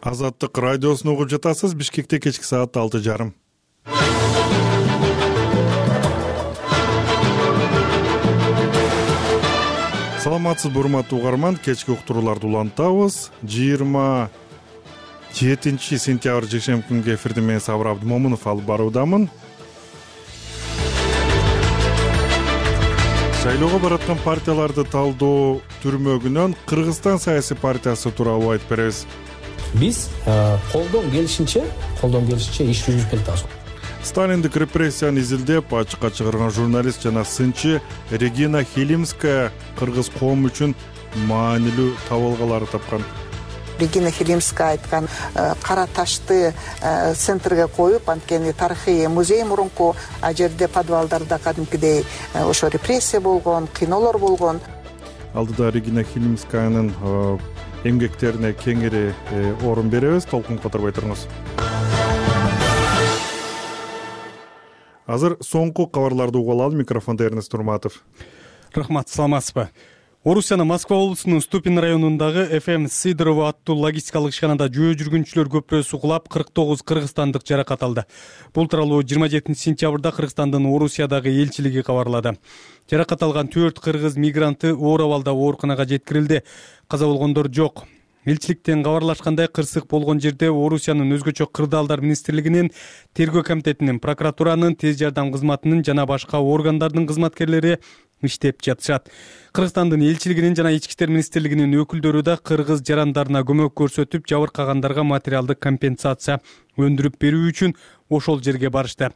Азаттык радиосун угуп жатасыз. Бишкекте кечки саат 6:30. Саламатсызбы урматтуу угарман, кечки уктурууларды улантабыз. 27 сентябрь жекшемби күнгө эфирди мен Сабыр Абдымомунов алып баруудамын. Шайлоого бараткан партияларды талдоо түрмөгүнөн Кыргызстан саясий партиясы тууралуу айтып беребиз. Биз колдон келишинче иш жүргүзүп келатабыз. Сталиндик репрессияны изилдеп, ачыкка чыгарган журналист жана сынчы Регина Хилимская кыргыз коому үчүн маанилүү табылгаларды тапкан. Регина Хилимская айткан кара ташты центрге коюп, анткени тарыхый музей мурунку, а жерде подвалдарда кадимкидей ошо репрессия болгон, кыйноолор болгон. Алдыда Регина Хилимскаянын эмгектерине кеңири орун беребиз. Толкун которбой туруңуз. Азыр соңку кабарларды угуп алалы. Микрофондо Эрнест Турматов. Рахмат, саламатсызбы. Орусиянын Москва облусунун Ступин районундагы ФМ Сидорова аттуу логистикалык ишканада жөө жүргүнчүлөр көпүрөсү кулап 49 кыргызстандык жаракат алды. Бул тууралуу 27 сентябрда Кыргызстандын Орусиядагы элчилиги кабарлады. Жаракат алган 4 кыргыз мигранты оор абалда ооруканага жеткирилди. Каза болгондор жок. Элчиликтен кабарлашкандай, кырсык болгон жерде Орусиянын өзгөчө кырдаалдар министрлигинин, тергөө комитетинин, прокуратуранын, тез жардам кызматынын жана башка органдардын кызматкерлери иштеп жатышат. Кыргызстандын элчилигинин жана ички иштер министрлигинин өкүлдөрү да кыргыз жарандарына көмөк көрсөтүп, жабыркагандарга материалдык компенсация өндүрүп берүү үчүн ошол жерге барышты.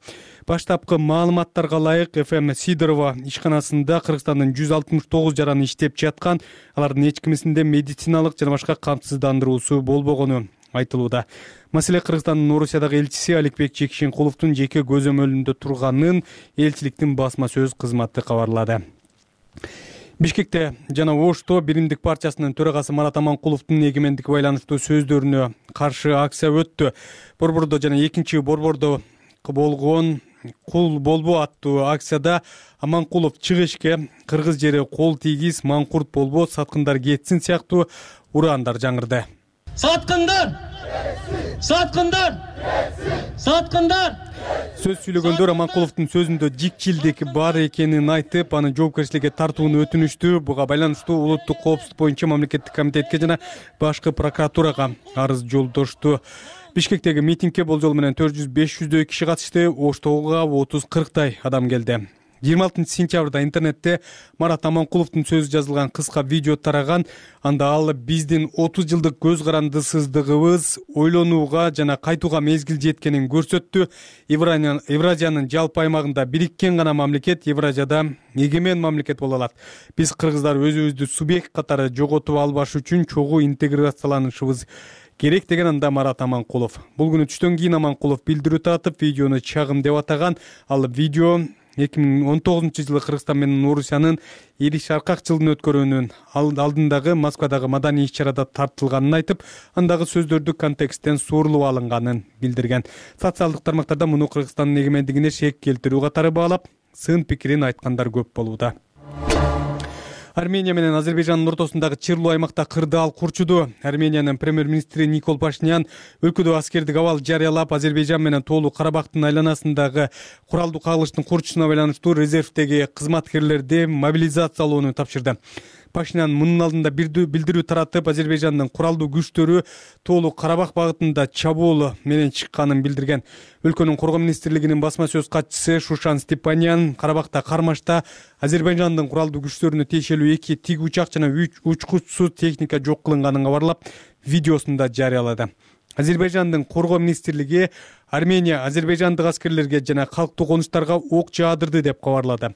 Баштапкы маалыматтарга ылайык, ФМ Сидорова ишканасында Кыргызстандын 169 жараны иштеп жаткан, алардын эч кимисинде медициналык жана башка камсыздандыруусу болбогону айтылууда. Маселе Кыргызстандын Орусиядагы элчиси Аликбек Жекшенкуловдун жеке көзөмөлүндө турганын элчиликтин басма сөз кызматы кабарлады. Бишкекте жана Ошто Биримдик партиясынын төрагасы Марат Аманкуловдун эгемендикке байланыштуу сөздөрүнө каршы акция өттү. Борбордо жана 2-борбордо болгон кул болбо аттуу акцияда Аманкулов чыгышке кыргыз жери кол тийгиз, маңкурт болбо, саткындар кетсин сыяктуу ураандар жаңырды. Саткындар! Саткындар! Саткындар! Сөз сүйлөгөндөр Аманкуловдун сөзүндө жикчилдик бар экенин айтып, аны жоопкерчиликке тартууну өтүнүштү. Буга байланыштуу улуттук коопсуздук боюнча мамлекеттик комитетке жана башкы прокуратурага арыз жолдошту. Бишкектеги митингге болжол менен 400-500дөй киши катышты. Оштогуга 30-40тай адам келди. 26 сентябрда интернетте Марат Аманкуловдун сөзү жазылган кыска видео тараган. Анда ал биздин 30 жылдык көз карандысыздыгыбыз ойлонууга жана кайтууга мезгил жеткенин көрсөттү. Евразиянын жалпы аймагында бириккен гана мамлекет Евразияда эгемен мамлекет боло алат. Биз кыргыздар өзүбүздү субъект катары жоготуп албаш үчүн чогуу интеграцияланышыбыз керек деген анда Марат Аманкулов. Бул күнү түштөн кийин Аманкулов билдирүү таратып, видеону чагым деп атаган. Ал видео 2019 жылы Кыргызстан менен Орусиянын Ириш Аркак жылын өткөрүүнүн алдындагы Москвадагы маданий иш-чарада тартылганын айтып, андагы сөздөрдү контексттен суурулуп алынганын билдирген. Социалдык тармактарда муну Кыргызстандын эгемендигине шек келтирүү катары баалап, сын пикирин айткандар көп болууда. Армения менен Азербайжандын ортосундагы чырлуу аймакта кырдаал курчуду. Армениянын премьер-министри Никол Пашинян өлкөдө аскердик абал жарыялап, Азербайжан менен Тоолуу Карабактын айланасындагы куралдуу кагылыштын курчушуна байланыштуу резервдеги кызматкерлерди мобилизациялоону тапшырды. Пашинян мунун алдында билдирүү таратып, Азербайжандын куралдуу күчтөрү Тоолуу Карабак багытында чабуул менен чыкканын билдирген. Өлкөнүн коргоо министрлигинин басма сөз катчысы Шушан Степанян Карабакта кармашта Азербайжандын куралдуу күчтөрүнө тиешелүү 2 тиг учак жана 3 учкучсуз техника жок кылынганын кабарлап, видеосунда жарыялады. Азербайжандын коргоо министрлиги Армения азербайжандык аскерлерге жана калктуу конуштарга ок жаадырды деп кабарлады.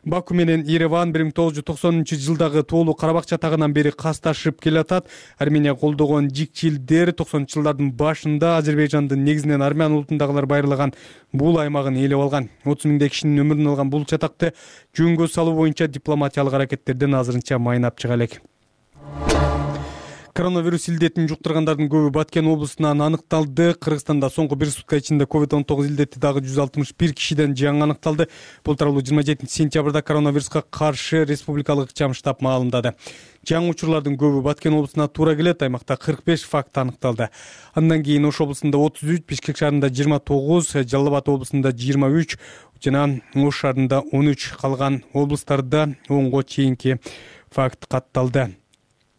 Баку менен Ереван 1990-жылдагы Тоолуу Карабак жатагынан бери касташып келатат. Армения колдогон жикчилдер 90-жылдардын башында Азербайжандын негизинен армян улутундагылар байырлаган бул аймагын ээлеп алган. 30 миңдей кишинин өмүрүн алган бул чатакты жөнгө салуу боюнча дипломатиялык аракеттерден азырынча майнап чыга элек. Коронавирус илдетин жуктургандардын көбү Баткен облусунан аныкталды. Кыргызстанда соңку бир сутка ичинде COVID-19 илдети дагы 161 кишиден жаңы аныкталды. Бул тууралуу 27 сентябрда коронавируска каршы республикалык ыкчам штаб маалымдады. Жаңы учурлардын көбү Баткен облусуна туура келет. Аймакта 45 факт аныкталды. Андан кийин Ош облусунда 33, Бишкек шаарында 29, Жалал Абад облусунда 23 жана Ош шаарында 13, калган облустарда 10го чейинки факт катталды.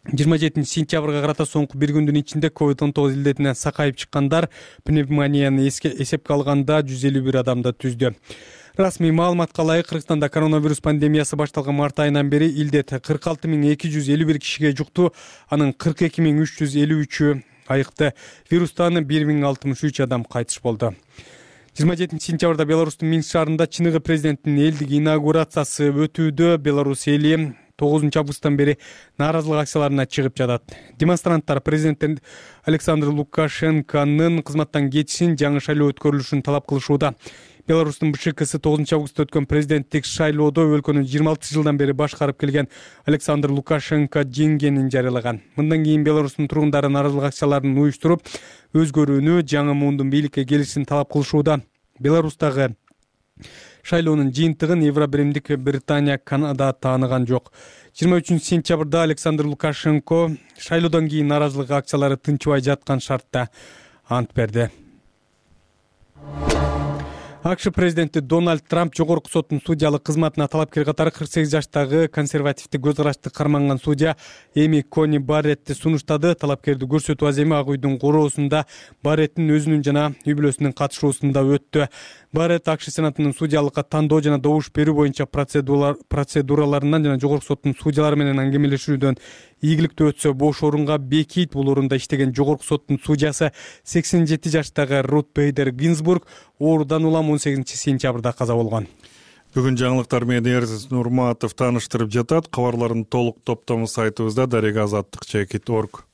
27 сентябрга карата соңку бир күндүн ичинде COVID-19 илдетинен сакайып чыккандар пневмонияны эсепке алганда 151 адамды түздү. Расмий маалыматка ылайык Кыргызстанда коронавирус пандемиясы башталган март айынан бери илдет 46251 кишиге жукту, анын 42353-ү айыкты. Вирустан 1063 адам кайтыш болду. 27 сентябрда Беларустун Минск шаарында чыныгы президенттин элдик инаугурациясы өтүүдө. Беларусь эли 9 августтан бери нааразылык акцияларына чыгып жатат. Демонстранттар президент Александр Лукашенконун кызматтан кетишин, жаңы шайлоо өткөрүлүшүн талап кылышууда. Беларустун БШКсы 9 августта өткөн президенттик шайлоодо өлкөнү 26 жылдан бери башкарып келген Александр Лукашенко жеңгенин жарыялаган. Мындан кийин Беларустун тургундары нааразылык акцияларын уюштуруп, өзгөрүүнү, жаңы муундун бийликке келишин талап кылышууда. Беларустагы шайлоонун жыйынтыгын Евробиримдик Британия, Канада тааныган жок. 23 сентябрда Александр Лукашенко шайлоодон кийин нааразылык акциялары тынчыбай жаткан шартта ант берди. АКШ президенти Дональд Трамп жогорку соттун судьялык кызматына талапкер катары 48 жаштагы консервативдик көз карашты карманган судья Эми Кони Барретти сунуштады. Талапкерди көрсөтүү аземи Ак үйдүн короосунда Барреттин өзүнүн жана үй бүлөсүнүн катышуусунда өттү. Барретт АКШ сенатынын судьялыкка тандоо жана добуш берүү боюнча процедураларынан жана жогорку соттун судьялары менен аңгемелешүүдөн ийгиликтүү өтсө бош орунга бекийт. Бул орунда иштеген жогорку соттун судьясы 87 жаштагы Рут Бейдер Гинзбург оорудан улам 18 сентябрда каза болгон. Бүгүн жаңылыктар менен Эрзис Нурматов тааныштырып жатат. Кабарлардын толук топтому сайтыбызда daregaazаттыk.org.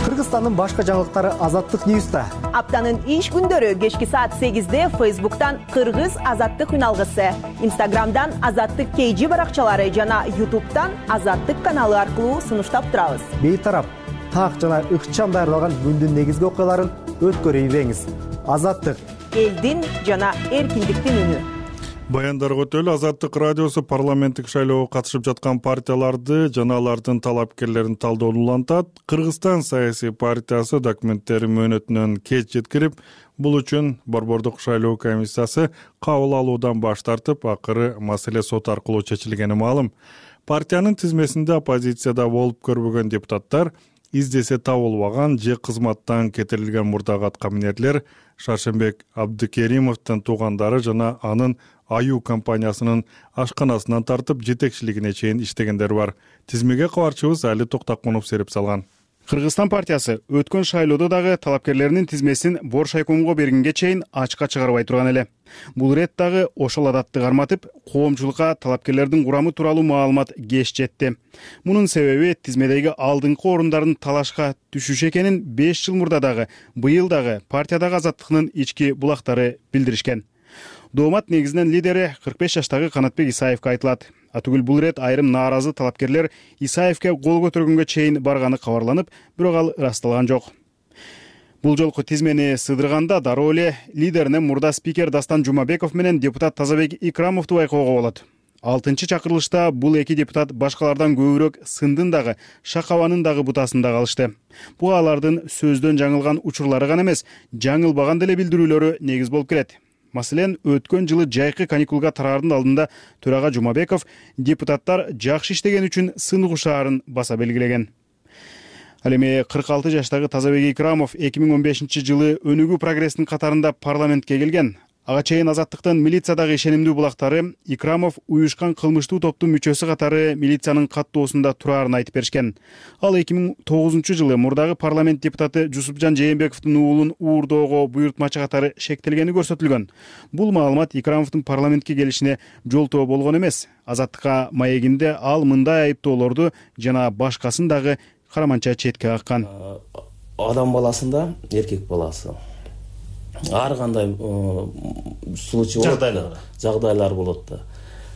Кыргызстандын башка жаңылыктары Азаттык Ньюста. Аптанын иш күндөрү кечки саат 8-де Facebook'тан Кыргыз Азаттык үналгысы, Instagram'дан Азаттык KG баракчалары жана YouTube'дан Азаттык каналы аркылуу сунуштап турабыз. Бейтарап, так жана ыкчам даярдалган күндүн негизги окуяларын өткөрүп ийбеңиз. Азаттык элдин жана эркиндиктин үнү. Баяндарга өтөлү Азаттык радиосу парламенттик шайлоого катышып жаткан партияларды жана алардын талапкерлерин талдоону улантат. Кыргызстан саясий партиясы документтери мөөнөтүнөн кеч жеткирип, бул үчүн Борбордук шайлоо комиссиясы кабыл алуудан баш тартып, акыры маселе сот аркылуу чечилгени маалым. Партиянын тизмесинде оппозицияда болуп көрбөгөн депутаттар, издесе табылбаган же кызматтан кетирилген мурдагы аткаминерлер Шаршембек Абдыкеримовдун туугандары жана анын Аю компаниясынын ашканасынан тартып жетекчилигине чейин иштегендер бар. Тизмеге кабарчыбыз Али Токтакунов серип салган. Кыргызстан партиясы өткөн шайлоодо дагы талапкерлеринин тизмесин Боршайкомго бергенге чейин ачыкка чыгарбай турган эле. Бул рет дагы ошол адатты карматып, коомчулукка талапкерлердин курамы тууралуу маалымат кеч жетти. Мунун себеби тизмедеги алдыңкы орундардын талашка түшүшү экенин 5 жыл мурда дагы, быйыл дагы партиядагы Азаттыктын ички булактары билдиришкен. Доомат негизинен лидери 45 жаштагы Канатбек Исаевке айтылат. Атүгүл бул рет айрым нааразы талапкерлер Исаевке кол көтөргөнгө чейин барганы кабарланып, бирок ал ырасталган жок. Бул жолку тизмени сыдырганда дароо эле лидерине мурда спикер Дастан Жумабеков менен депутат Тазабек Икрамовду байкоого болот. 6-чакырылышта бул эки депутат башкалардан көбүрөөк сындын дагы, шакабанын дагы бутасында калышты. Бул алардын сөздөн жаңылган учурлары гана эмес, жаңылбаган деле билдирүүлөрү негиз болуп келет. Маселен, өткөн жылы жайкы каникулга тараардын алдында төрага Жумабеков депутаттар жакшы иштеген үчүн сын угушаарын баса белгилеген. Ал эми 46 жаштагы Тазабек Икрамов 2015 жылы Өнүгүү прогресстин катарында парламентке келген. Ага чейин Азаттыктын милициядагы ишенимдүү булактары Икрамов уюшкан кылмыштуу топтун мүчөсү катары милициянын каттоосунда турарын айтып беришкен. Ал 2009 жылы мурдагы парламент депутаты Жусупжан Жээнбековдун уулун уурдоого буйртмачы катары шектелгени көрсөтүлгөн. Бул маалымат Икрамовдун парламентке келишине жолтоо болгон эмес. Азаттыкка маегинде ал мындай айыптоолорду жана башкасын дагы караманча четке каккан. Адам баласында эркек баласы ар кандай случай болот, жагдайлар болот да.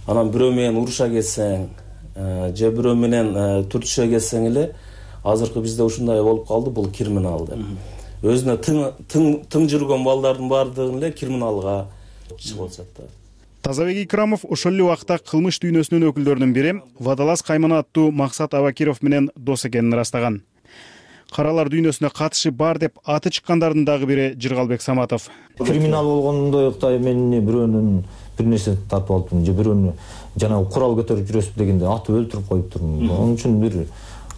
Анан бирөө менен уруша кетсең, же бирөө менен түртүшө кетсең эле, азыркы бизде ушундай болуп калды, бул криминал деп. Өзүнө тың жүргөн балдардын баардыгын эле криминалга чыгып атышат да. Тазабек Икрамов ошол эле убакта кылмыш дүйнөсүнүн өкүлдөрүнүн бири Водолаз Каймана аттуу Максат Абакиров менен дос экенин ырастаган. Каралар дүйнөсүнө катышы бар деп аты чыккандардын дагы бири Жыргалбек Саматов. Криминал болгондой мен бирөөнүн бир нерсе тартып алыптырмын, же бирөөнү жанагы курал көтөрүп жүрөсүп дегенде атып өлтүрүп коюптурмун. Onun үчүн бир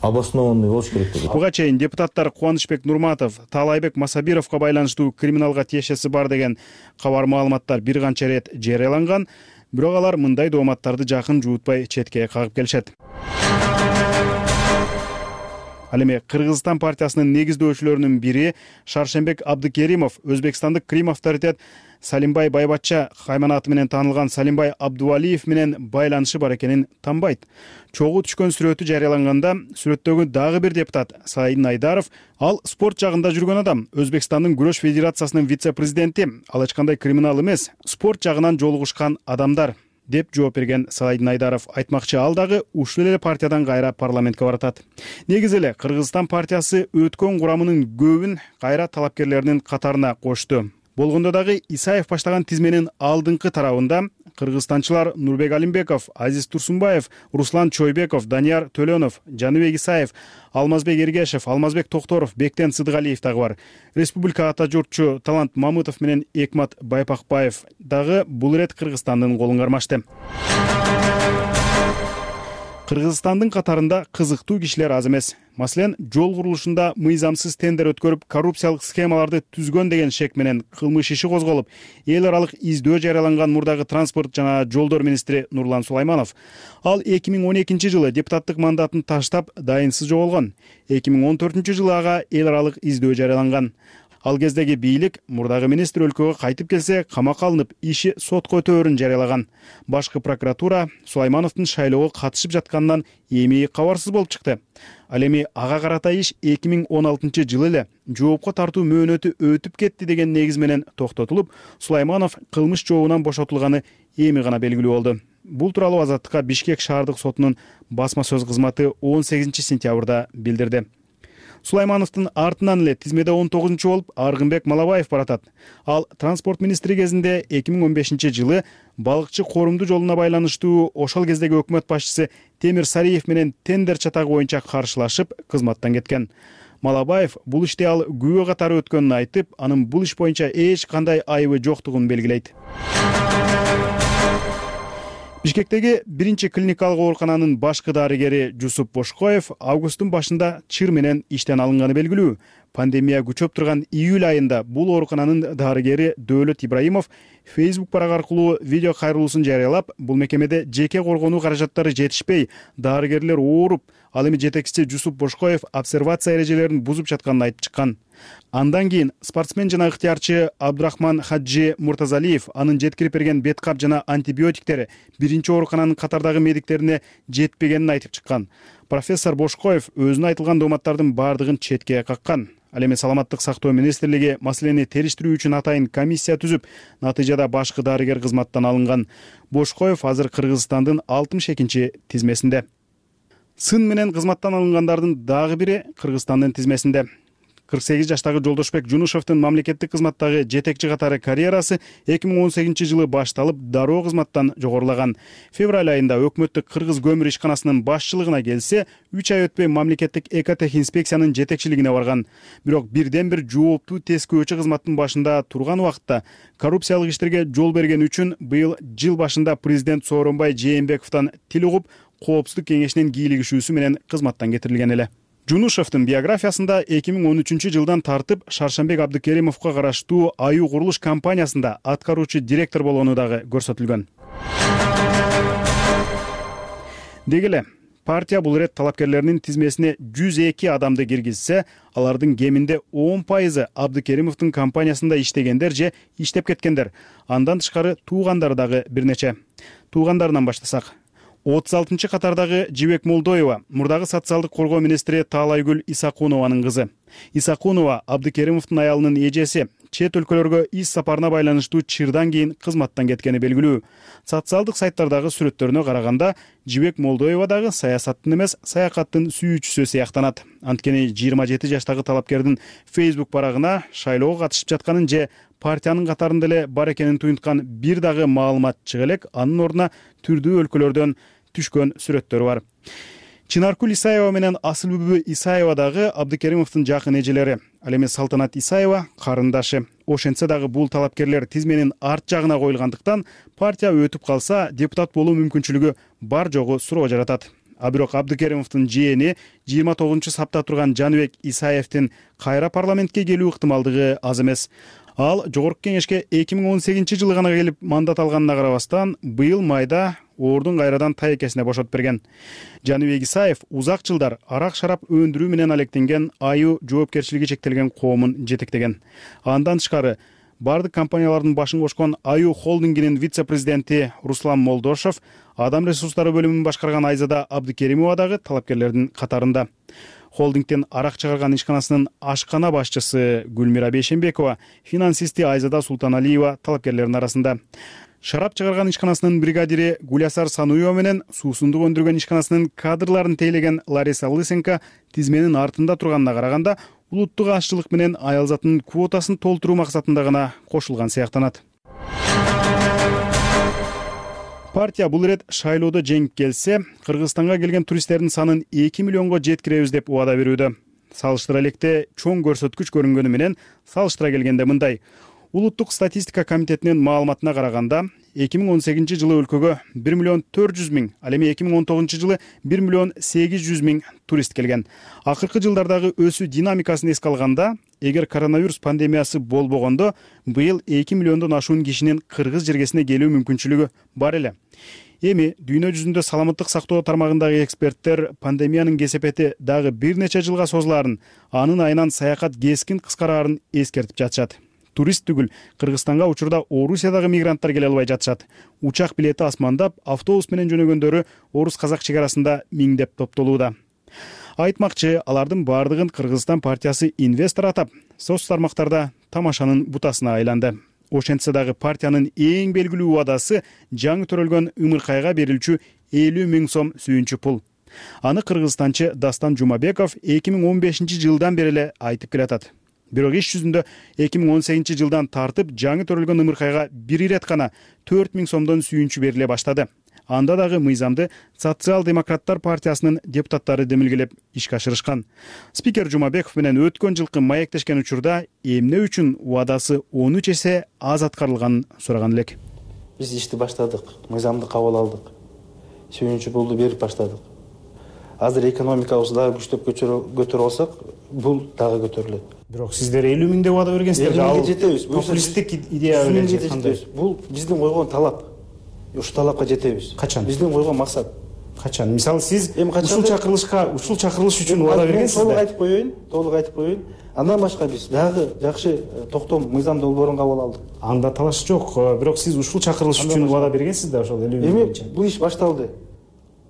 обоснованный болуш керек деп. Буга чейин депутаттар Кубанычбек Нурматов, Таалайбек Масабировго байланыштуу криминалга тиешеси бар деген кабар маалыматтар бир канча ирет жарыяланган, бирок алар мындай дооматтарды жакын жуутпай четке кагып келишет. Ал эми Кыргызстан партиясынын негиздөөчүлөрүнүн бири Шаршембек Абдыкеримов Өзбекстандык Крим авторитет Салимбай Байбатча Каймана аты менен таанылган Салимбай Абдувалиев менен байланышы бар экенин танбайт. Чогуу түшкөн сүрөтү жарыяланганда сүрөттөгү дагы бир депутат Саидин Айдаров, ал спорт жагында жүргөн адам, Өзбекстандын күрөш федерациясынын вице-президенти, ал эч кандай криминал эмес, спорт жагынан жолугушкан адамдар деп жооп берген Саидин Айдаров. Айтмакчы, ал дагы ушул эле партиядан кайра парламентке баратат. Негизи эле Кыргызстан партиясы өткөн курамынын көбүн кайра талапкерлеринин катарына кошту. Болгондо дагы Исаев баштаган тизменин алдыңкы тарабында кыргызстанчылар Нурбек Алимбеков, Азиз Турсунбаев, Руслан Чойбеков, Данияр Төлөнов, Жаныбек Исаев, Алмазбек Эргешев, Алмазбек Токторов, Бектен Сыдыгалиев дагы бар. Республика ата журтчу Талант Мамытов менен Экмат Байпакбаев дагы бул ирет Кыргызстандын колун кармашты. Кыргызстандын катарында кызыктуу кишилер аз эмес. Маселен, жол курулушунда мыйзамсыз тендер өткөрүп, коррупциялык схемаларды түзгөн деген шек менен кылмыш иши козголуп, эл аралык издөө жарыяланган мурдагы транспорт жана жолдор министри Нурлан Сулайманов. Ал 2012-жылы депутаттык мандатын таштап, дайынсыз жоголгон. 2014-жылы ага эл аралык издөө жарыяланган. Ал кездеги бийлик мурдагы министр өлкөгө кайтып келсе, камакка алынып, иши сотко өтөөрүн жарыялаган. Башкы прокуратура Сулаймановдун шайлоого катышып жатканынан эми кабарсыз болуп чыкты. Ал эми ага карата иш 2016-жылы эле жоопко тартуу мөөнөтү өтүп кетти деген негиз менен токтотулуп, Сулайманов кылмыш жообунан бошотулганы эми гана белгилүү болду. Бул тууралуу Азаттыкка Бишкек шаардык сотунун басма сөз кызматы 18-сентябрда билдирди. Сулаймановдун артынан эле тизмеде 19-чу болуп Аргынбек Малабаев баратат. Ал транспорт министри кезинде 2015-жылы балыкчы корумду жолуна байланыштуу ошол кездеги өкмөт башчысы Темир Сариев менен тендер чатагы боюнча каршылашып, кызматтан кеткен. Малабаев бул иште ал күбө катары өткөнүн айтып, анын бул иш боюнча эч кандай айыбы жоктугун белгилейт. Бишкектеги биринчи клиникалык оорукананын башкы дарыгери Жусуп Бошкоев августтун башында чыр менен иштен алынганы белгилүү. Пандемия күчөп турган июль айында бул оорукананын дарыгери Дөөлөт Ибраимов Facebook барак аркылуу видео кайрылуусун жарыялап, бул мекемеде жеке коргонуу каражаттары жетишпей, дарыгерлер ооруп, ал эми жетекчиси Жусуп Бошкоев обсервация эрежелерин бузуп жатканын айтып чыккан. Андан кийин спортсмен жана ыктыярчы Абдурахман Хаджи Муртазалиев анын жеткирип берген беткап жана антибиотиктери биринчи оорукананын катардагы медиктерине жетпегенин айтып чыккан. Профессор Бошкоев өзүнө айтылган дооматтардын баардыгын четке каккан. Ал эми саламаттык сактоо министрлиги маселени териштирүү үчүн атайын комиссия түзүп, натыйжада башкы дарыгер кызматтан алынган. Бошкоев азыр Кыргызстандын 62-чи тизмесинде. Сын менен кызматтан алынгандардын дагы бири Кыргызстандын тизмесинде. 48 жаштагы Жолдошбек Жунушевдин мамлекеттик кызматтагы жетекчи катары карьерасы 2018-жылы башталып, дароо кызматтан жогорулаган. Февраль айында өкмөттүк Кыргыз көмүр ишканасынын башчылыгына келсе, 3 ай өтпөй мамлекеттик экотех инспекциянын жетекчилигине барган. Бирок бирден-бир жооптуу тескөөчү кызматтын башында турган убакытта коррупциялык иштерге жол берген үчүн быйыл жыл башында президент Сооронбай Жээнбековдон тил угуп, коопсуздук кеңешинин кийлигишүүсү менен кызматтан кетирилген эле. Жунушевдин биографиясында 2013-жылдан тартып Шаршембек Абдыкеримовго караштуу Аю курулуш компаниясында аткаруучу директор болгону дагы көрсөтүлгөн. Деги эле партия бул ирет талапкерлеринин тизмесине 102 адамды киргизсе, алардын кеминде 10% Абдыкеримовдун компаниясында иштегендер же иштеп кеткендер. Андан тышкары туугандары дагы бир нече. Туугандарынан баштасак, 36-чы катардагы Жибек Молдоева, мурдагы социалдык коргоо министри Таалайгүл Исакунованын кызы. Исакунова Абдыкеримовдун аялынын эжеси, чет өлкөлөргө ис сапарына байланыштуу чырдан кийин кызматтан кеткени белгилүү. Социалдык сайттардагы сүрөттөрүнө караганда Жибек Молдоева дагы саясаттын эмес, саякаттын сүйүүчүсү сыяктанат. Анткени 27 жаштагы талапкердин Facebook барагына шайлоого катышып жатканын же партиянын катарында эле бар экенин туюнткан бир дагы маалымат чыга элек, анын ордуна түрдүү өлкөлөрдөн түшкөн сүрөттөр бар. Чынаркүл Исаева менен Асылбүбү Исаева дагы Абдыкеримовдун жакын эжелери. Ал эми Салтанат Исаева карындашы. Ошентсе дагы бул талапкерлер тизменин арт жагына коюлгандыктан партия өтүп калса депутат болуу мүмкүнчүлүгү бар жогу суроо жаратат. А бирок Абдыкеримовдун жээни 29-сапта турган Жаныбек Исаевдин кайра парламентке келүү ыктымалдыгы аз эмес. Ал жогорку кеңешке 2018-жылы гана келип мандат алганына карабастан, быйыл майда ордун кайрадан тайекесине бошотуп берген. Жаныбек Исаев узак жылдар арак-шарап өндүрүү менен алектенген Аю жоопкерчилиги чектелген коомун жетектеген. Андан тышкары бардык компаниялардын башын кошкон Аю холдингинин вице-президенти Руслан Молдошев, адам ресурстары бөлүмүн башкарган Айзада Абдыкеримова дагы талапкерлердин катарында. Холдингден арак чыгарган ишканасынын ашкана башчысы Гүлмира Бейшенбекова, финансисти Айзада Султаналиева талапкерлердин арасында. Шарап чыгарган ишканасынын бригадири Гулясар Сануева менен суусундук өндүргөн ишканасынын кадрларын тейлеген Лариса Лысенко тизменин артында турганына караганда, улуттук ашчылык менен аялзатынын квотасын толтуруу максатында гана кошулган сыяктанат. Партия бул ирет шайлоодо жеңип келсе, Кыргызстанга келген туристтердин санын 2 миллионго жеткиребиз деп убада берүүдө. Салыштыра электе чоң көрсөткүч көрүнгөнү менен салыштыра келгенде мындай. Улуттук статистика комитетинин маалыматына караганда, 2018-жылы өлкөгө 1 миллион 400 миң, ал эми 2019-жылы 1 миллион 800 миң турист келген. Акыркы жылдардагы өсүү динамикасын эске алганда, эгер коронавирус пандемиясы болбогондо, быйыл 2 миллиондон ашуун кишинин Кыргыз жергесине келүү мүмкүнчүлүгү бар эле. Эми дүйнө жүзүндө саламаттык сактоо тармагындагы эксперттер пандемиянын кесепети дагы бир нече жылга созулаарын, анын айынан саякат кескин кыскараарын эскертип жатышат. Турист түгүл, Кыргызстанга учурда Орусиядагы мигранттар келе албай жатышат. Учак билети асмандап, автобус менен жөнөгөндөрү орус-казак чек арасында миңдеп топтолууда. Айтмакчы, алардын бардыгын Кыргызстан партиясы инвестор атап, соц тармактарда тамашанын бутасына айланды. Ошентсе дагы партиянын эң белгилүү убадасы жаңы төрөлгөн ымыркайга берилчү 50 миң сом сүйүнчү пул. Аны кыргызстанчы Дастан Жумабеков 2015-жылдан бери эле айтып келатат. Бирок иш жүзүндө 2018-жылдан тартып жаңы төрөлгөн ымыркайга бир ирет гана 4 миң сомдон сүйүнчү бериле баштады. Анда дагы мыйзамды Социал-демократтар партиясынын депутаттары демилгелеп ишке ашырышкан. Спикер Жумабеков менен өткөн жылкы маектешкен учурда эмне үчүн убадасы 13 эсе аз аткарылганын сураган элек. Биз ишти баштадык, мыйзамды кабыл алдык. Сүйүнчү пулду берип баштадык. Азыр экономикабызды дагы күчтөп көтөрө алсак, бул дагы көтөрүлөт. Бирок сиздер 50 миңде убада бергенсиздер. Жетебиз. Популисттик идея менен кандай? Бул биздин койгон талап. Ушул талапка жетебиз. Качан? Биздин койгон максат. Качан? Мисалы сиз ушул чакырылыш үчүн убада бергенсизби? Толук айтып коеюн. Андан башка биз дагы жакшы токтом мыйзам долбоорун кабыл алдык. Анда талаш жок. Бирок сиз ушул чакырылыш үчүн убада бергенсиз да, ошол 50 миң боюнча. Бул иш башталды.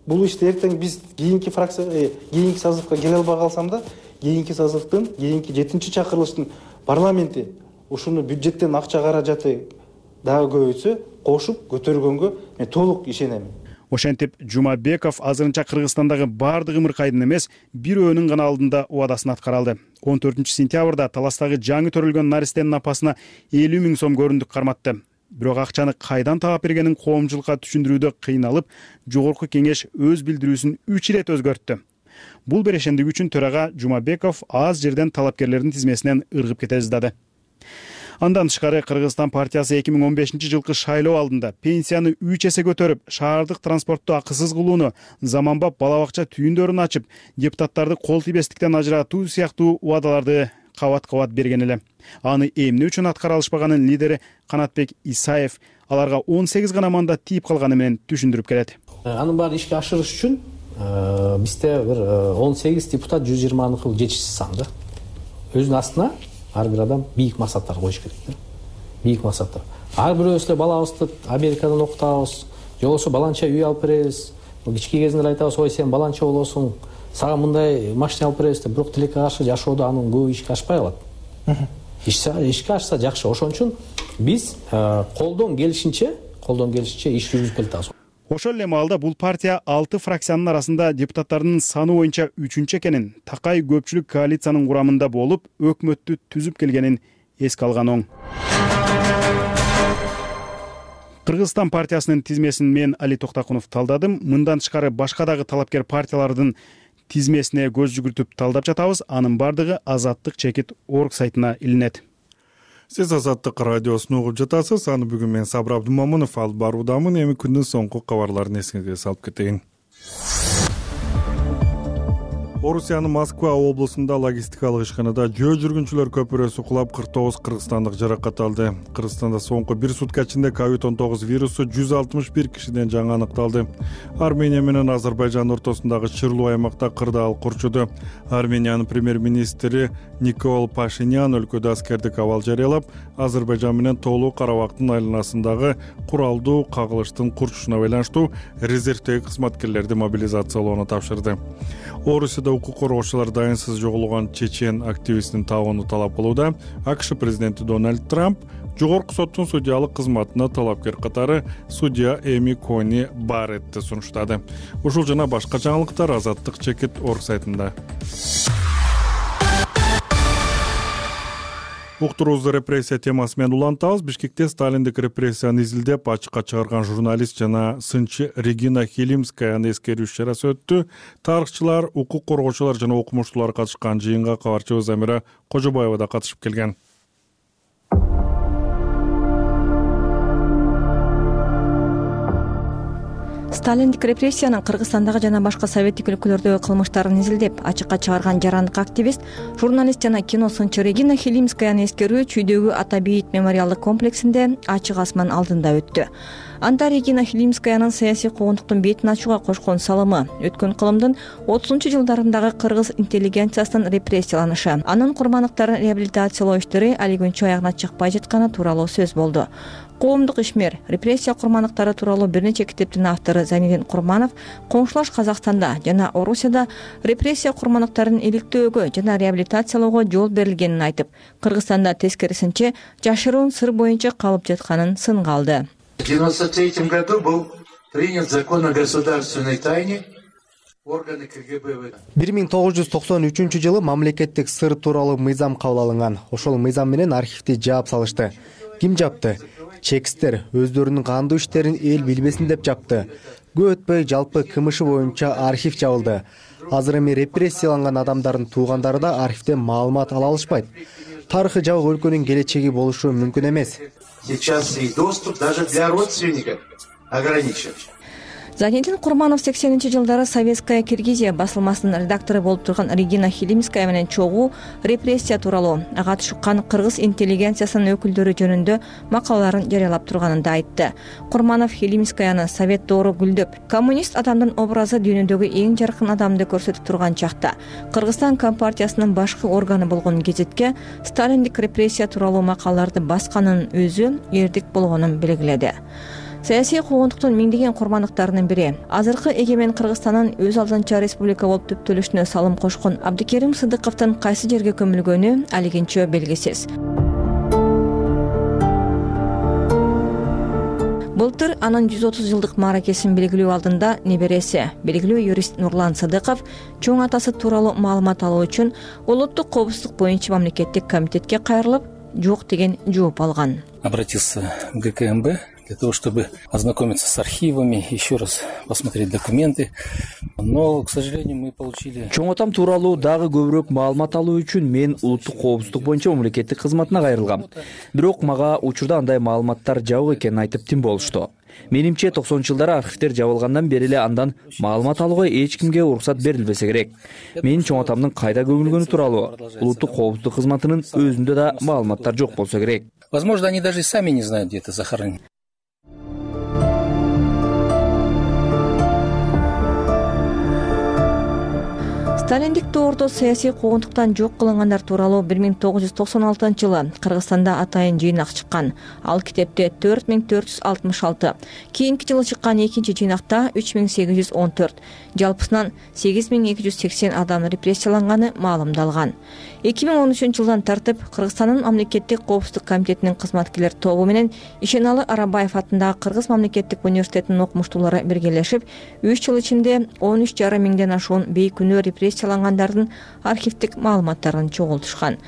Бул ишти эртең биз кийинки фракция, кийинки созывга келе албай калсам да, кийинки созывдын, кийинки 7-чакырылыштын парламенти ушуну бюджеттен акча каражаты дагы көбөйтсө, кошуп көтөргөнгө мен толук ишенем. Ошентип Жумабеков азырынча Кыргызстандагы бардык ымыркайдын эмес, бирөөнүн гана алдында убадасын аткара алды. 14-сентябрда Таластагы жаңы төрөлгөн наристенин апасына 50 миң сом көрүндүк карматты. Бирок акчаны кайдан таап бергенин коомчулукка түшүндүрүүдө кыйналып, жогорку кеңеш өз билдирүүсүн 3 ирет өзгөрттү. Бул берешендик үчүн төрага Жумабеков аз жерден талапкерлердин тизмесинен ыргып кете жаздады. Андан тышкары Кыргызстан партиясы 2015-жылкы шайлоо алдында пенсияны 3 эсе көтөрүп, шаардык транспортту акысыз кылууну, заманбап бала-бакча түйүндөрүн ачып, депутаттарды кол тийбестиктен ажыратуу сыяктуу убадаларды кабат-кабат берген эле. Аны эмне үчүн аткара алышпаганын лидери Канатбек Исаев аларга 18 гана мандат тийип калганы менен түшүндүрүп келет. Анын баары ишке ашырыш үчүн бизде бир 18 депутат 120 кылып жетишсиз сан да. Өзүнүн астына ар бир адам бийик максаттар коюш керек да. Бийик максаттар. Ар бирөөбүз эле балабызды Америкадан окутабыз, же болбосо баланча үй алып беребиз. Кички кезинде айтабыз, ой сен баланча болосуң, сага мындай машина алып беребиз деп, бирок тилекке каршы жашоодо анын көбү ишке ашпай калат. ишке ашса жакшы. Ошон үчүн биз колдон келишинче иш жүргүзүп келатабыз. Ошол эле маалда бул партия 6 фракциянын арасында депутаттардын саны боюнча 3-чү экенин, такай көпчүлүк коалициянын курамында болуп, өкмөттү түзүп келгенин эске алган оң. Кыргызстан партиясынын тизмесин мен Али Токтакунов талдадым. Мындан тышкары башка дагы талапкер партиялардын тизмесине көз жүгүртүп талдап жатабыз. Анын бардыгы Азаттык чекит орг сайтына илинет. Сиз Азаттык радиосун угуп жатасыз. Аны бүгүн мен Сабыр Абдумамынов алып баруудамын. Эми күндүн соңку кабарларын эсиңизге салып кетейин. Орусиянын Москва облусунда логистикалык ишканада жөө жүргүнчүлөр көпүрөсү кулап 49 кыргызстандык жаракат алды. Кыргызстанда соңку 1 сутка ичинде COVID-19 вирусу 161 кишиден жаңы аныкталды. Армения менен Азербайжан ортосундагы чырлуу аймакта кырдаал курчуду. Армениянын премьер-министри Никол Пашинян өлкөдө аскердик абал жарыялап, Азербайжан менен Тоолуу Карабактын айланасындагы куралдуу кагылыштын курчушуна байланыштуу резервдеги кызматкерлерди мобилизациялоону тапшырды. Орусияда укук коргоочулар дайынсыз жоголгон чечен активистин табууну талап кылууда. АКШ президенти Дональд Трамп жогорку соттун судьялык кызматына талапкер катары судья Эми Кони Барретти сунуштады. Ушул жана башка жаңылыктар Азаттык чекит орг сайтында. Уктуруубузду репрессия темасы менен улантабыз. Бишкекте сталиндик репрессияны изилдеп ачыкка чыгарган журналист жана сынчы Регина Хилимскаяны эскерүү иш-чарасы өттү. Тарыхчылар, укук коргоочулар жана окумуштуулар катышкан жыйынга кабарчыбыз Замира Кожобаева да катышып келген. Сталиндик репрессиянын Кыргызстандагы жана башка советтик өлкөлөрдөгү кылмыштарын изилдеп ачыкка чыгарган жарандык активист, журналист жана кино сынчы Регина Хилимскаяны эскерүү Чүйдөгү Ата Бейит мемориалдык комплексинде ачык асман алдында өттү. Анда Регина Хилимскаянын саясий куугунтуктун бетин ачууга кошкон салымы, өткөн кылымдын 30-жылдарындагы кыргыз интеллигенциясынын репрессияланышы, анын курмандыктарын реабилитациялоо иштери али күнчө аягына чыкпай жатканы тууралуу сөз болду. Коомдук ишмер, репрессия курмандыктары тууралуу бир нече китептин автору Зайнидин Курманов коңшулаш Казакстанда жана Орусияда репрессия курмандыктарын иликтөөгө жана реабилитациялоого жол берилгенин айтып, Кыргызстанда тескерисинче жашыруун сыр боюнча калып жатканын сынга алды. В 1993 году был принят закон о государственной тайне. 1993 жылы мамлекеттик сыр тууралуу мыйзам кабыл алынган. Ошол мыйзам менен архивди жаап салышты. Ким жапты? Чекисттер өздөрүнүн кандуу иштерин эл билбесин деп жапты. Көп өтпөй жалпы КМШ боюнча архив жабылды. Азыр эми репрессияланган адамдардын туугандары да архивден маалымат ала алышпайт. Тарыхы жабык өлкөнүн келечеги болушу мүмкүн эмес. Сейчас и доступ даже для родственников ограничен. Зайнидин Курманов 80-жылдары Советская Киргизия басылмасынын редактору болуп турган Регина Хилимская менен чогуу репрессия тууралуу ага түшкөн кыргыз интеллигенциясынын өкүлдөрү жөнүндө макалаларын жарыялап турганын да айтты. Курманов Хилимскаяны совет доору гүлдөп, коммунист адамдын образы дүйнөдөгү эң жаркын адамды көрсөтүп турган чакта Кыргызстан компартиясынын башкы органы болгон гезитке сталиндик репрессия тууралуу макалаларды басканын өзү эрдик болгонун белгиледи. Саясий куугунтуктун миңдеген курмандыктарынын бири, азыркы эгемен Кыргызстандын өз алдынча республика болуп түптөлүшүнө салым кошкон Абдыкерим Сыдыковдун кайсы жерге көмүлгөнү алигинчө белгисиз. Былтыр анын 130 жылдык мааракесин белгилөө алдында небереси, белгилүү юрист Нурлан Сыдыков чоң атасы тууралуу маалымат алуу үчүн Улуттук коопсуздук боюнча мамлекеттик комитетке кайрылып, жок деген жооп алган. Обратился в ГКМБ для того, чтобы ознакомиться с архивами, еще раз посмотреть документы. Но, к сожалению, мы получили... Чоң атам тууралуу дагы көбүрөөк маалымат алуу үчүн мен улуттук коопсуздук боюнча мамлекеттик кызматына кайрылгам. Бирок мага учурда андай маалыматтар жабык экенин айтып тим болушту. Менимче 90-жылдары архивдер жабылгандан бери эле андан маалымат алууга эч кимге уруксат берилбесе керек. Менин чоң атамдын кайда көмүлгөнү тууралуу улуттук коопсуздук кызматынын өзүндө да маалыматтар жок болсо керек. Возможно, они даже и сами не знают, где это захоронено. сталиндик доордо саясий куугунтуктан жок кылынгандар тууралуу 1996-жылы Кыргызстанда атайын жыйнак чыккан. Ал китепте 4466, кийинки жылы чыккан экинчи жыйнакта 3814, жалпысынан 8280 адам репрессияланганы маалымдалган. 2013-жылдан тартып Кыргызстандын мамлекеттик коопсуздук комитетинин кызматкерлер тобу менен Ишеналы Арабаев атындагы Кыргыз мамлекеттик университетинин окумуштуулары биргелешип 3 жыл ичинде 13,5 миңден ашуун бейкүнөө репрессиялангандардын архивдик маалыматтарын чогултушкан.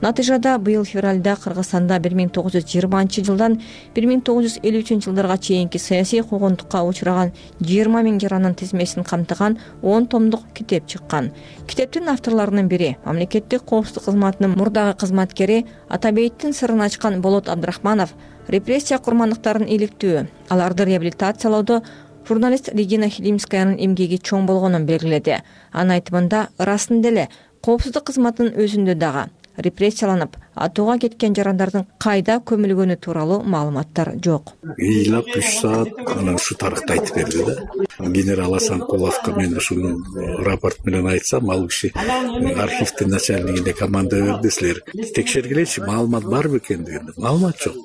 Натыйжада быйыл февралда Кыргызстанда 1920-жылдан 1953-жылдарга чейинки саясий куугунтукка учураган 20 миң жаранын тизмесин камтыган 10 томдук китеп чыккан. Китептин авторлорунун бири мамлекеттик коопсуздук кызматынын мурдагы кызматкери Атабейиттин сырын ачкан Болот Абдрахманов репрессия курмандыктарын иликтөө, аларды реабилитациялоодо журналист Регина Хилимскаянын эмгеги чоң болгонун белгиледи. Анын айтымында ырасында эле коопсуздук кызматынын өзүндө дагы репрессияланып, атууга кеткен жарандардын кайда көмүлгөнү тууралуу маалыматтар жок. Ыйлап 3 саат анан ушу тарыхты айтып берди да. Генерал Асанкуловго мен ушуну рапорт менен айтсам, ал киши архивдин начальнигине команда берди, силер текшергилечи, маалымат барбы экен дегенде. Маалымат жок.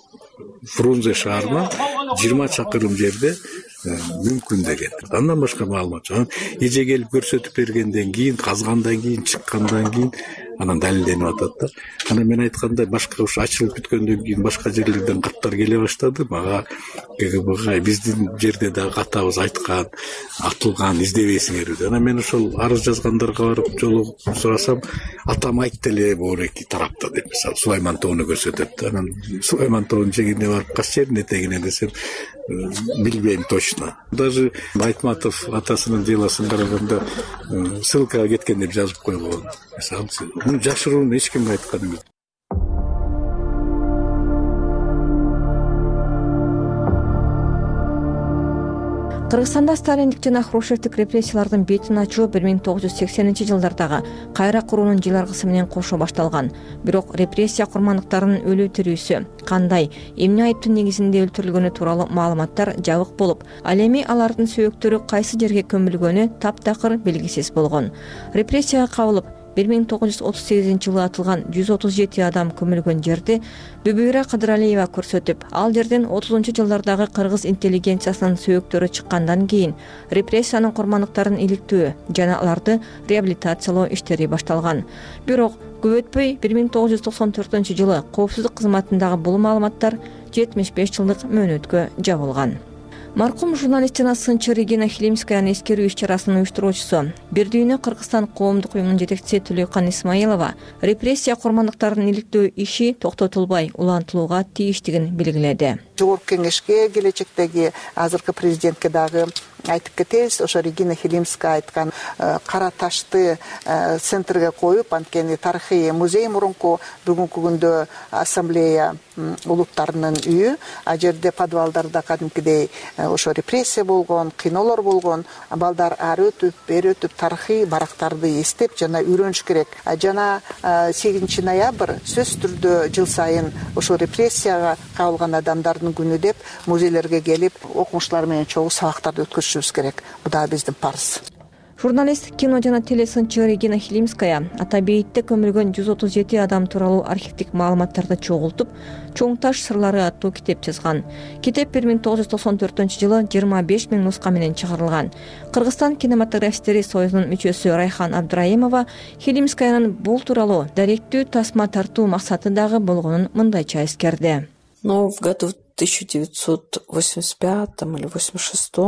Фрунзе шаарынан 20 чакырым жерде мүмкүн деген. Андан башка маалымат жок. Эже келип көрсөтүп бергенден кийин, казгандан кийин, чыккандан кийин анан далилденип атат да. Анан мен айткандай башка ушу ачылып бүткөндөн кийин башка жерлерден каттар келе баштады. Мага КГБга биздин жерде да катабыз айткан, атылган, издебейсиңер деп. Анан мен ошол арыз жазгандарга барып жолугуп сурасам, атам айтты эле боор эки тарапта деп. Мисалы Сулайман тоону көрсөтөт. Анан Сулайман тоонун жээгине барып кайсы жердин этегине десем, билбейм точно. Даже Айтматов атасынын делосын караганда ссылкага кеткен деп жазып койгон. Мисалы муну жашырууну эч кимге айткан эмес. Кыргызстанда сталиндик жана хрущевдик репрессиялардын бетин ачуу 1980-жылдардагы кайра куруунун жыларгысы менен кошо башталган. Бирок репрессия курмандыктарынын өлүү тирүүсү, кандай, эмне айыптын негизинде өлтүрүлгөнү тууралуу маалыматтар жабык болуп, ал эми алардын сөөктөрү кайсы жерге көмүлгөнү таптакыр белгисиз болгон. Репрессияга кабылып 1938-жылы атылган 137 адам көмүлгөн жерди Бүбүйра Кадыралиева көрсөтүп, ал жерден 30-жылдардагы кыргыз интеллигенциясынын сөөктөрү чыккандан кийин репрессиянын курмандыктарын иликтөө жана аларды реабилитациялоо иштери башталган. Бирок көп өтпөй 1994-жылы коопсуздук кызматындагы бул маалыматтар 75 жылдык мөөнөткө жабылган. Маркум журналист жана сынчы Регина Хилимскаянын эскерүү иш-чарасынын уюштуруучусу, Бирдүйнө Кыргызстан коомдук уюмунун жетекчиси Түлөкан Исмаилова репрессия курмандыктарын иликтөө иши токтотулбай улантылууга тийиштигин белгиледи. Жогорку кеңешке, келечектеги азыркы президентке дагы айтып кетебиз. Ошо Регина Хилимская айткан кара ташты центрге коюп, анткени тарыхый музей мурунку бүгүнкү күндө ассамблея улуттарынын үйү, а жерде подвалдарда кадимкидей ошо репрессия болгон, кыйноолор болгон, балдар ары өтүп, бери өтүп тарыхый барактарды эстеп жана үйрөнүш керек. Жана 8 ноябрь сөзсүз түрдө жыл сайын ошо репрессияга кабылган адамдардын күнү деп музейлерге келип, окумуштуулар менен чогуу сабактарды өткөзүшүбүз керек. Бул да биздин парыз. Журналист, кино жана телесынчы Регина Хилимская Атабейитте көмүлгөн 137 адам тууралуу архивдик маалыматтарды чогултуп, Чоң таш сырлары аттуу китеп жазган. Китеп 1994-жылы 25 миң нуска менен чыгарылган. Кыргызстан кинематографисттери союзунун мүчөсү Райхан Абдраимова Хилимскаянын бул тууралуу даректүү тасма тартуу максаты дагы болгонун мындайча эскерди. Но в году 1985 или 86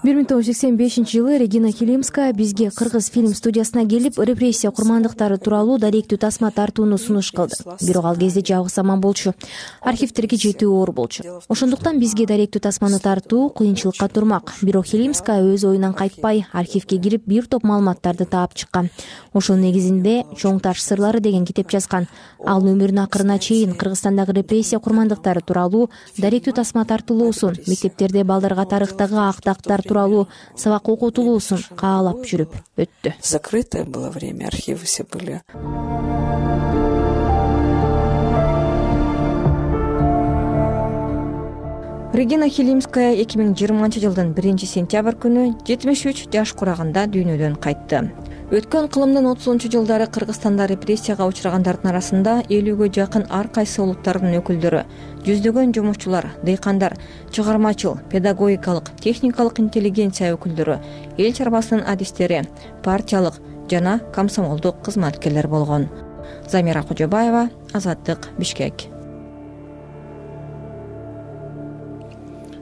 1985-жылы Регина Хилимская бизге Кыргыз фильм студиясына келип, репрессия курмандыктары тууралуу даректүү тасма тартууну сунуш кылды. Бирок ал кезде жабык заман болчу. Архивдерге жетүү оор болчу. Ошондуктан бизге даректүү тасманы тартуу кыйынчылыкка турмак. Бирок Хилимская өз оюнан кайтпай, архивге кирип бир топ маалыматтарды таап чыккан. Ошонун негизинде Чоң таш сырлары деген китеп жазган. Ал өмүрүнүн акырына чейин Кыргызстандагы репрессия курмандыктары тууралуу даректүү тасма тартылуусун, мектептерде балдарга тарыхтагы актактар тууралуу сабак окутулуусун каалап жүрүп өттү. Закрытое было время, архивы все были. Регина Хилимская 2020-жылдын 1-сентябрь күнү 73 жаш курагында дүйнөдөн кайтты. Өткөн кылымдын 30-жылдары Кыргызстанда репрессияга учурагандардын арасында 50-гө жакын ар кайсы улуттардын өкүлдөрү, жүздөгөн жумушчулар, дыйкандар, чыгармачыл, педагогикалык, техникалык интеллигенция өкүлдөрү, эл чарбасынын адистери, партиялык жана комсомолдук кызматкерлер болгон. Замира Кожобаева, Азаттык, Бишкек.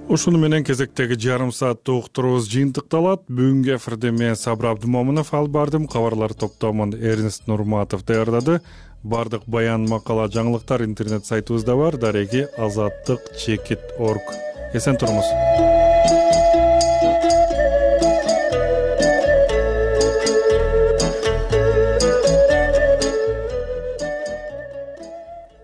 Ушуну менен кезектеги жарым сааттык уктуруубуз жыйынтыкталат. Бүгүнкү эфирде мен Сабыр Абдымомунов алып бардым. Кабарлар топтомун Эрнест Нурматов даярдады. Бардык баян, макала, жаңылыктар интернет сайтыбызда бар. Дареги азаттык.org. Эсен туруңуз.